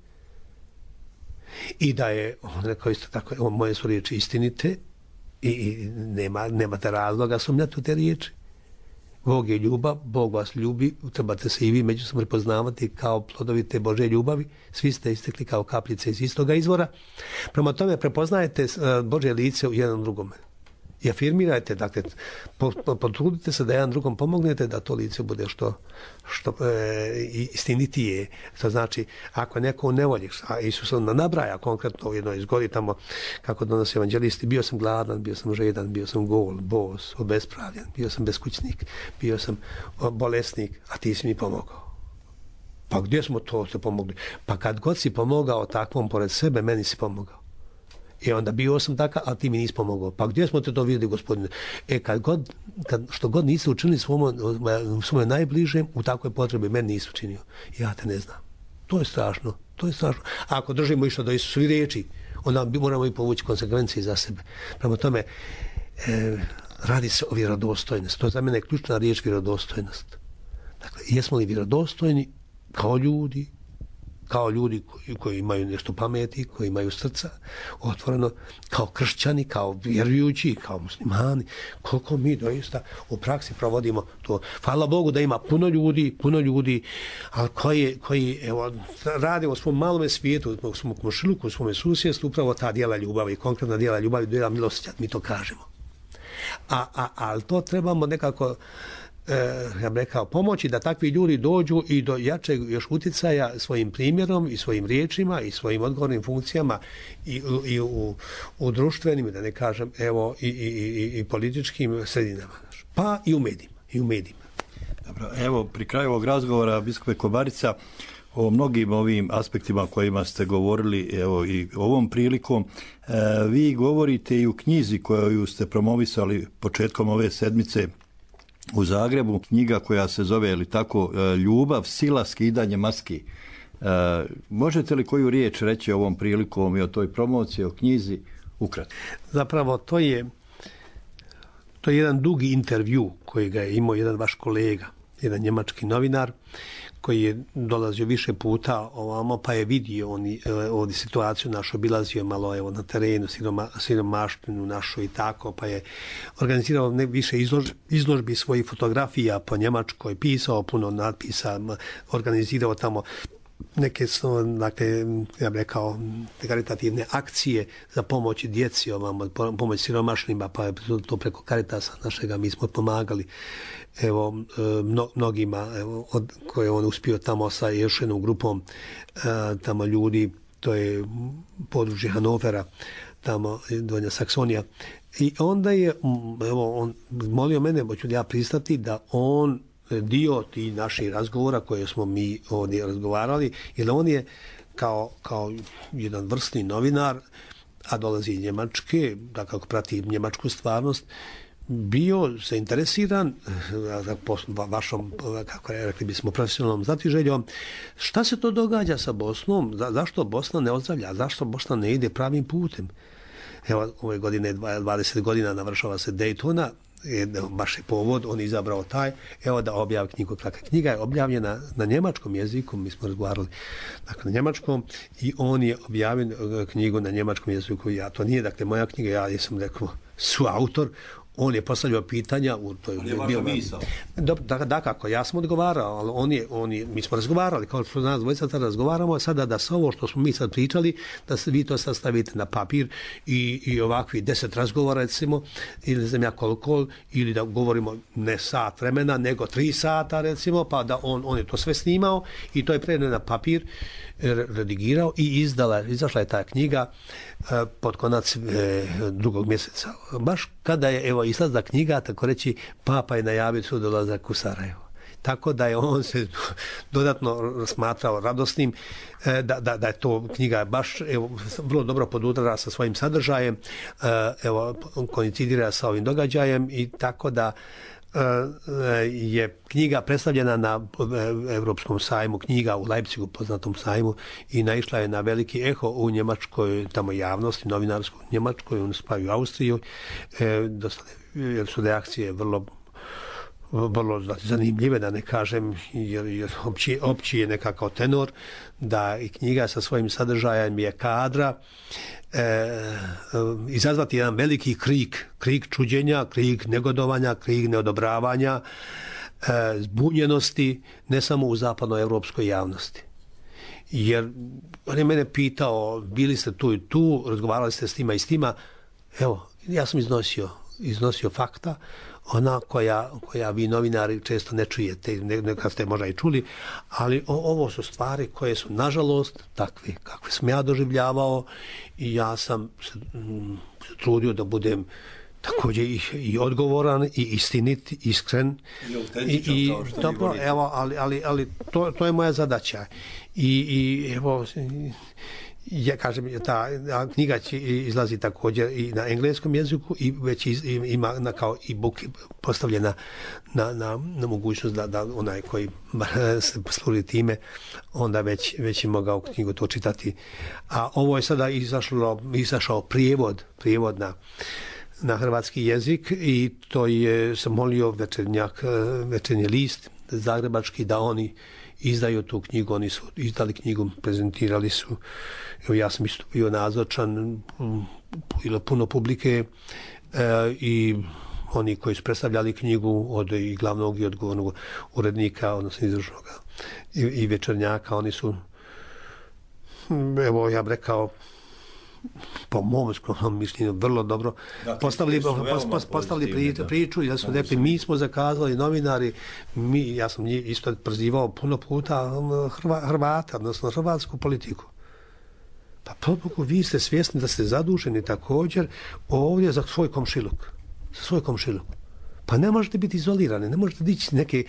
i da je, on rekao isto tako, moje su riječi istinite i nemate razloga sumnjati u te riječi. Bog je ljubav, Bog vas ljubi, trebate se i vi međusobno prepoznavati kao plodovi te Božje ljubavi, svi ste istekli kao kapljice iz istoga izvora. Prema tome prepoznajete Božje lice u jednom drugome. I afirmirajte, dakle, potrudite se da jedan drugom pomognete da to lice bude što istinitije. To znači, ako neko u nevolji, a Isus nabraja konkretno u jednoj izgodi tamo, kako donosi evanđelisti, bio sam gladan, bio sam žedan, bio sam gol, bos, obespravljen, bio sam beskućnik, bio sam bolesnik, a ti si mi pomogao. Pa gdje smo to se pomogli? Pa kad god si pomogao takvom pored sebe, meni si pomogao. I onda bio sam takav, a ti mi nisi pomogao. Pa gdje smo te to vidjeli, gospodine? Što god nisi učinili svome najbližem, u takvoj potrebi meni nisi učinio. Ja te ne znam. To je strašno. A ako držimo išta do Isusovih riječi, onda moramo i povući konsekvencije za sebe. Prema tome, radi se o vjerodostojnosti. To je za mene ključna riječ, vjerodostojnost. Dakle, jesmo li vjerodostojni kao ljudi koji imaju nešto pameti, koji imaju srca otvoreno, kao kršćani, kao vjerujući, kao muslimani, koliko mi doista u praksi provodimo to. Hvala Bogu da ima puno ljudi, ali koji evo, rade u svom malome svijetu, u svom komšiluku, u svome susjedstvu, upravo ta djela ljubavi, konkretna djela ljubavi, djela milosti, mi to kažemo. Ali to trebamo nekako, ja bih rekao, pomoći da takvi ljudi dođu i do jačeg još utjecaja svojim primjerom i svojim riječima i svojim odgovornim funkcijama i u društvenim, da ne kažem, evo, i političkim sredinama. Pa i u medijima. Dobro, evo, pri kraju ovog razgovora, biskupe Komarica, o mnogim ovim aspektima o kojima ste govorili, evo i ovom prilikom, vi govorite i u knjizi koju ste promovisali početkom ove sedmice, u Zagrebu, knjiga koja se zove, ili tako, Ljubav, sila, skidanje maski. Možete li koju riječ reći ovom prilikom i o toj promociji, o knjizi, ukratko? Zapravo, to je jedan dugi intervju koji ga je imao jedan vaš kolega, jedan njemački novinar, koji je dolazio više puta ovamo, pa je vidio ovdje situaciju našu, obilazio malo na terenu, siromaštinu našu i tako, pa je organizirao više izložbi svojih fotografija po Njemačkoj, pisao puno natpisa, organizirao tamo neke, dakle, ja bih rekao, karitativne akcije za pomoć djeci, pomoć siromašnima, pa je to preko Caritasa našega mi smo pomagali mnogima, koje on uspio tamo sa još jednom grupom tamo ljudi, to je područje Hanovera, tamo Donja Saksonija. I onda je, on molio mene, hoću ja pristati da on dio tih naših razgovora koje smo mi ovdje razgovarali, jer on je kao jedan vrsni novinar, a dolazi iz Njemačke, da kako prati njemačku stvarnost, bio zainteresiran za vašom, kako rekli bismo, profesionalnom znatiželjom, šta se to događa sa Bosnom, zašto Bosna ne ozdravlja, zašto Bosna ne ide pravim putem. Evo, ove godine 20 godina navršava se Daytona, baš je povod, on je izabrao taj, evo da objavi knjigu. Knjiga je objavljena na njemačkom jeziku, mi smo razgovarali na njemačkom, i on je objavio knjigu na njemačkom jeziku. To nije, dakle, moja knjiga, ja sam rekao suautor, on je postavljao pitanja. On je vaša misao. Da, kako, ja sam odgovarao, ali mi smo razgovarali, kao što nas dvojica sad razgovaramo, sada da se ovo što smo mi sad pričali, da vi to sad stavite na papir i ovakvi 10 razgovora, recimo, ili ne znam ja koliko, ili da govorimo ne sat vremena, nego 3 sata, recimo, pa da on je to sve snimao i to je prenio na papir, redigirao i izašla je ta knjiga pod konac 2. mjeseca. Baš kada je izlazla knjiga, tako reći, Papa je najavio svoj dolazak u Sarajevo. Tako da je on se dodatno smatrao radosnim da je to knjiga baš vrlo dobro podudara sa svojim sadržajem, koincidira sa ovim događajem, i tako da je knjiga predstavljena na Europskom sajmu knjiga u Leipzigu, poznatom sajmu, i naišla je na veliki eho u njemačkoj tamo javnosti, novinarskoj njemačkoj, pa i u Austriji, jer su reakcije vrlo zanimljive, da ne kažem, jer opći je nekakav tenor da i knjiga sa svojim sadržajem je kadra izazvati jedan veliki krik čuđenja, krik negodovanja, krik neodobravanja, zbunjenosti, ne samo u zapadnoevropskoj javnosti. Jer on je mene pitao, bili ste tu i tu, razgovarali ste s tima i s tima, evo, ja sam iznosio fakta, ona koja vi novinari često ne čujete, nekad ste možda i čuli, ali ovo su stvari koje su nažalost takve kakve sam ja doživljavao, i ja sam se trudio da budem također i odgovoran i istinit, iskren i dobro, evo, ali to je moja zadaća. I evo, ja kažem, ta knjiga će izlazi također i na engleskom jeziku, i već ima kao e-book postavljena na mogućnost da onaj koji se posluži time, onda već je mogao knjigu to čitati. A ovo je sada izašao prijevod na hrvatski jezik, i to je sam molio Večernji list zagrebački da oni izdaju tu knjigu. Oni su izdali knjigu, prezentirali su, evo, ja sam isto bio nazočan, bilo puno publike, i oni koji su predstavljali knjigu, od i glavnog i odgovornog urednika, odnosno izvršnog i Večernjaka, oni su, evo, ja bih rekao, po mom skromnom mišljenju vrlo dobro postavili priču, i da su rekli, mi smo zakazali novinari, ja sam isto prozivao puno puta Hrvata, odnosno hrvatsku politiku. Pa pobogu, vi ste svjesni da ste zaduženi također ovdje za svoj komšiluk. Pa ne možete biti izolirani, ne možete dići neke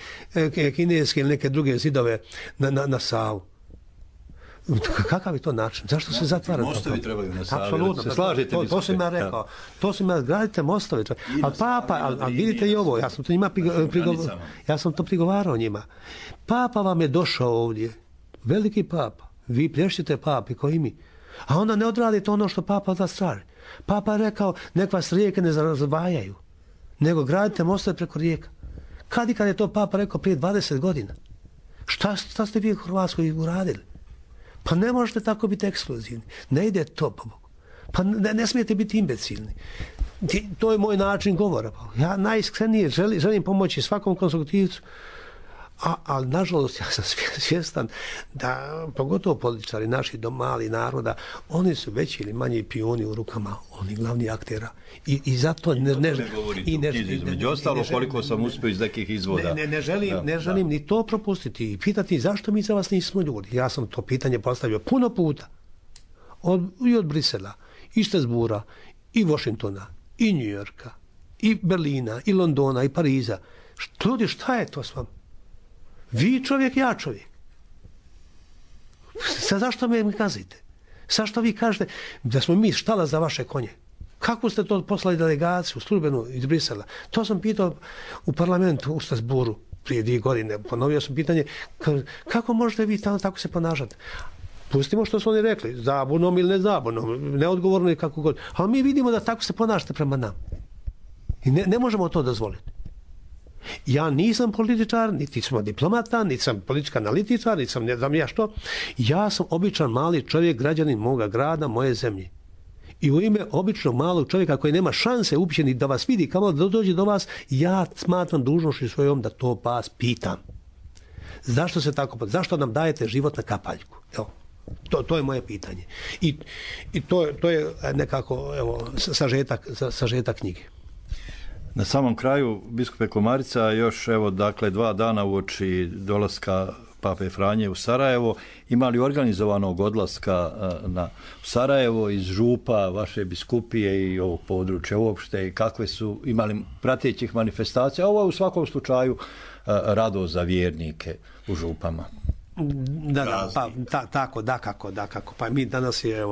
kineske ili neke druge zidove na Savu. Kakav je to način? Zašto se zatvara to? Mostovi trebaju na Savi. Apsolutno. Se slažete? To sam ja rekao. To sam ja, gradite mostove. Ali Papa, ali vidite i ovo, ja sam to prigovarao njima. Papa vam je došao ovdje. Veliki Papa. Vi plješćete Papi koji mi. A onda ne odradite ono što Papa od vas traži. Papa je rekao, nek vas rijeke ne razvajaju, nego gradite mostove preko rijeka. Kad je to Papa rekao prije 20 godina? Šta ste vi u Hrvatskoj uradili? Pa ne možete tako biti ekskluzivni. Ne ide to, po Bogu. Pa ne smijete biti imbecilni. To je moj način govora. Ja najiskrenije želim pomoći svakom konstruktivcu, ali nažalost ja sam svjestan da pogotovo političari naši mali naroda, oni su veći ili manji pijuni u rukama onih glavnih aktera i zato među ostalo koliko sam uspio iz nekih izvoda. Ne želim ni to propustiti i pitati zašto mi za vas nismo ljudi. Ja sam to pitanje postavio puno puta i od Brisela i Strasbourga i Washingtona i New Yorka i Berlina i Londona i Pariza. Ljudi, šta je to s vama? Vi čovjek, ja čovjek. Zašto me kazite? Zašto vi kažete da smo mi štala za vaše konje? Kako ste to poslali delegaciju službenu iz Brisela? To sam pitao u parlamentu u Strasbourgu prije 2 godine. Ponovio sam pitanje kako možete vi tamo tako se ponašati? Pustimo što su oni rekli, zabunom ili ne zabunom, neodgovorno i kako god. Ali mi vidimo da tako se ponašate prema nam. I ne možemo to dozvoliti. Ja nisam političar, niti sam diplomata, niti sam politička analitičar, niti sam ne znam ja što. Ja sam običan mali čovjek, građanin moga grada, moje zemlje. I u ime običnog malog čovjeka koji nema šanse uopće da vas vidi, kamo da dođe do vas, ja smatram dužnošću svojom da to vas pitam. Zašto se tako, zašto nam dajete život na kapaljku? Evo, to je moje pitanje. I to je nekako sažetak knjige. Na samom kraju, biskupe Komarica, još dakle 2 dana uoči dolaska Pape Franje u Sarajevo, imali organizovanog odlaska u Sarajevo iz župa vaše biskupije i ovog područja uopšte i kakve su imali pratećih manifestacija? Ovo je u svakom slučaju radost za vjernike u župama. Dakako. Pa mi danas je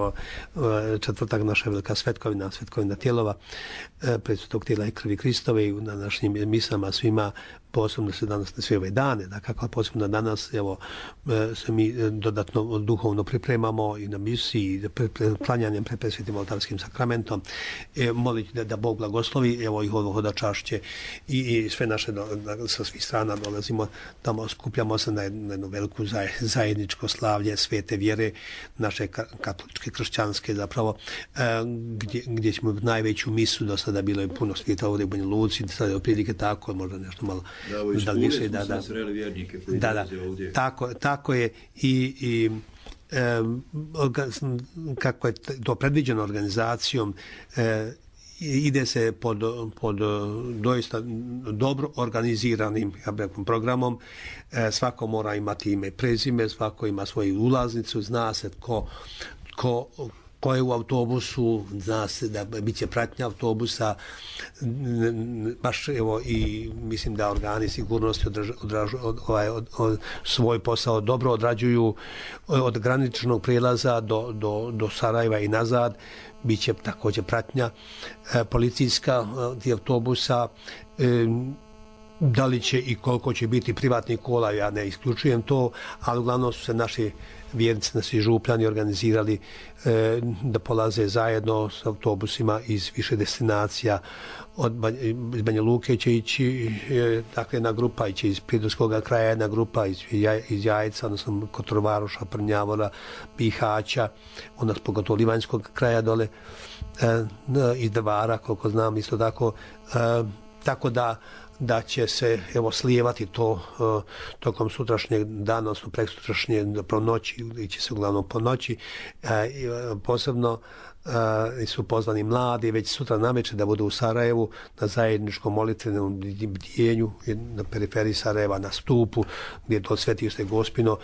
četvrtak naša velika svetkovina Tijelova, predsvetog tijela i krvi Kristove i na našim misama svima, posebno se danas na sve ove dane, dakako, posebno danas se mi dodatno duhovno pripremamo i na misiji, klanjanjem pred presvetim oltarskim sakramentom, moliti da Bog blagoslovi, ih hodačašće i sve naše sa svih strana dolazimo, tamo skupljamo se na jednu veliku zajedničko slavlje svete vjere, naše katoličke, kršćanske zapravo, gdje ćemo najveću misu, do sada bilo je puno svijeta ovdje u Banja Luci, sada je otprilike tako, možda nešto malo tako je i kako je to predviđeno organizacijom, ide se pod doista dobro organiziranim programom. Svako mora imati ime i prezime, svako ima svoju ulaznicu, zna se ko je u autobusu, zna se da bit će pratnja autobusa, baš i mislim da organi sigurnosti svoj posao dobro odrađuju od graničnog prijelaza do Sarajeva i nazad. Biće također pratnja policijska tih autobusa, da li će i koliko će biti privatnih kola, ja ne isključujem to, ali uglavnom su se naši vjernici, naši župljani organizirali da polaze zajedno s autobusima iz više destinacija. Iz Banja Luke će ići jedna grupa, ići iz Pridorskog kraja jedna grupa, iz Jajca, odnosno Kotrovaroša, Prnjavora, Bihaća, onda pogotovo Livanjskog kraja dole, iz Drvara, koliko znam, isto tako. Tako da će se slijevati to tokom sutrašnjeg dana, odnosno preksutrašnje po noći, ili će se uglavnom po noći, posebno su pozvani mladi već sutra navečer da budu u Sarajevu na zajedničkom molitvenom bdijenju na periferiji Sarajeva na stupu gdje je to Svetište Gospino.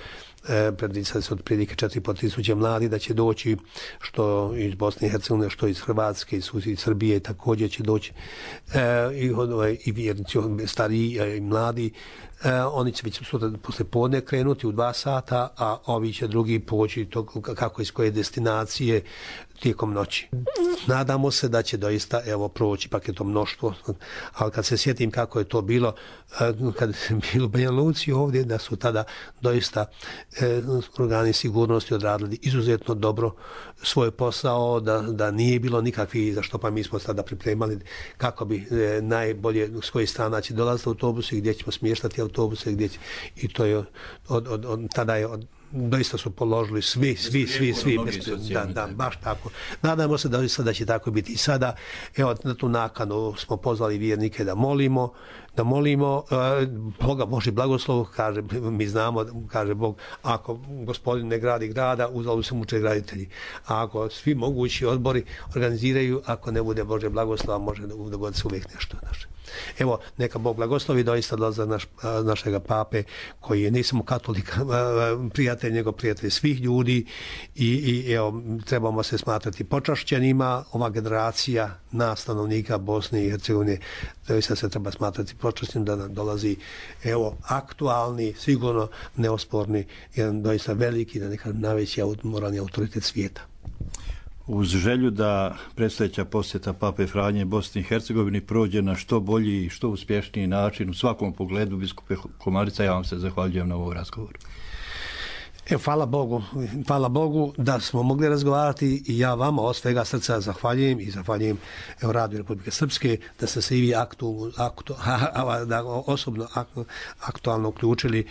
Predviđa se otprilike 4.500 mladi da će doći, što iz Bosne i Hercegovine, što iz Hrvatske, iz Srbije također će doći i vjernici stariji i mladi. Oni će već sutra posle podne krenuti u 2 sata, a ovi će drugi poći kako iz koje destinacije tijekom noći. Nadamo se da će doista proći paketom mnoštvo, ali kad se sjetim kako je to bilo kad je bilo u Banja Luci ovdje, da su tada doista organi sigurnosti odradili izuzetno dobro svoj posao, da nije bilo nikakvih, za što pa mi smo sada pripremali kako bi najbolje s kojih strana će dolaziti autobusi, gdje ćemo smještati autobuse, i to je tada je doista su položili svi da, baš tako. Nadamo se da će tako biti i sada. Evo, na tu nakanu smo pozvali vjernike da molimo Boga Boži blagoslov, kaže, mi znamo, kaže Bog, ako Gospodin ne gradi grada, uzalud se muče graditelji. A ako svi mogući odbori organiziraju, ako ne bude Bože blagoslova, može dogoditi se uvijek nešto. Evo, neka Bog blagoslovi doista za našega pape, koji je ne samo katolika, prijatelj, nego prijatelj svih ljudi i evo, trebamo se smatrati počašćenima. Ova generacija nas, stanovnika Bosne i Hercegovine, doista se treba smatrati počašćenim da nam dolazi aktualni, sigurno neosporni, jedan doista veliki, da nekad najveći moralni autoritet svijeta. Uz želju da predstojeća posjeta Pape Franje Bosni i Hercegovini prođe na što bolji i što uspješniji način u svakom pogledu, biskupe Komarica, ja vam se zahvaljujem na ovom razgovoru. Hvala Bogu da smo mogli razgovarati i ja vama od svega srca zahvaljujem i zahvaljujem Radio Republike Srpske da ste se i vi osobno aktualno uključili.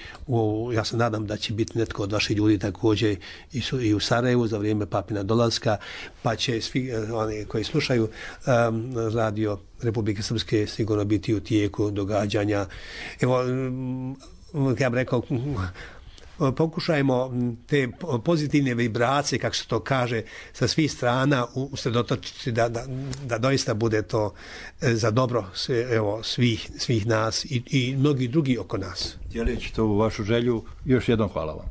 Ja se nadam da će biti netko od vaših ljudi također i u Sarajevu za vrijeme papina dolaska, pa će svi oni koji slušaju Radio Republike Srpske sigurno biti u tijeku događanja. Evo, ja bih rekao, pokušajmo te pozitivne vibracije, kako se to kaže, sa svih strana usredotočiti da doista bude to za dobro svih nas i mnogi drugi oko nas. Dijeleći to u vašu želju, još jednom hvala vam.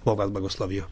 Bog vas blagoslovio.